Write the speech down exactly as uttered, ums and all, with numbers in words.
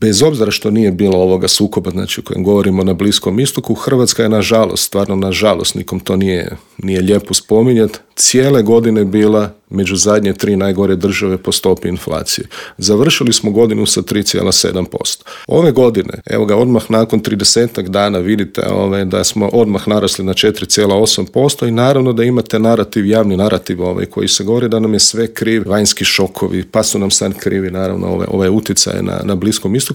bez obzira što nije bilo ovoga sukoba, znači o kojem govorimo na Bliskom istoku, Hrvatska je nažalost, stvarno nažalost, nikom to nije, nije lijepo spominjati, cijele godine bila među zadnje tri najgore države po stopi inflacije. Završili smo godinu sa tri zarez sedam posto. Ove godine, evo ga, odmah nakon tridesetak dana vidite ove, da smo odmah narasli na četiri zarez osam posto i naravno da imate narativ, javni narativ ovaj, koji se govori da nam je sve kriv, vanjski šokovi, pa su nam sad krivi naravno ove, ove utjecaje na, na Bliskom istoku.